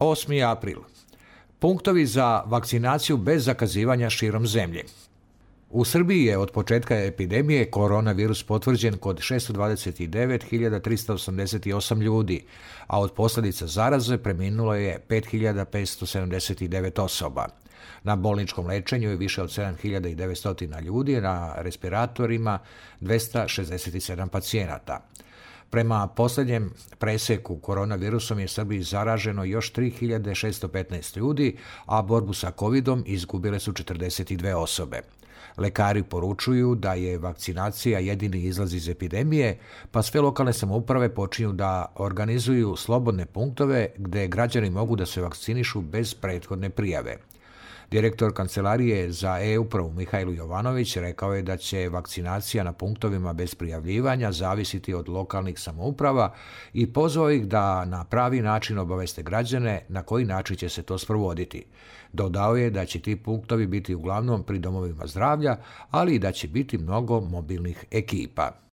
8. april. Punktovi za vakcinaciju bez zakazivanja širom zemlje. U Srbiji je od početka epidemije koronavirus potvrđen kod 629.388 ljudi, a od posljedica zaraze preminulo je 5.579 osoba. Na bolničkom lečenju je više od 7.900 ljudi, na respiratorima 267 pacijenata. Prema posljednjem preseku koronavirusom je Srbiji zaraženo još 3.615 ljudi, a borbu sa covidom izgubile su 42 osobe. Lekari poručuju da je vakcinacija jedini izlaz iz epidemije, pa sve lokalne samouprave počinju da organizuju slobodne punktove gdje građani mogu da se vakcinišu bez prethodne prijave. Direktor Kancelarije za e-upravu Mihajlo Jovanović rekao je da će vakcinacija na punktovima bez prijavljivanja zavisiti od lokalnih samouprava i pozvao ih da na pravi način obaveste građane na koji način će se to sprovoditi. Dodao je da će ti punktovi biti uglavnom pri domovima zdravlja, ali i da će biti mnogo mobilnih ekipa.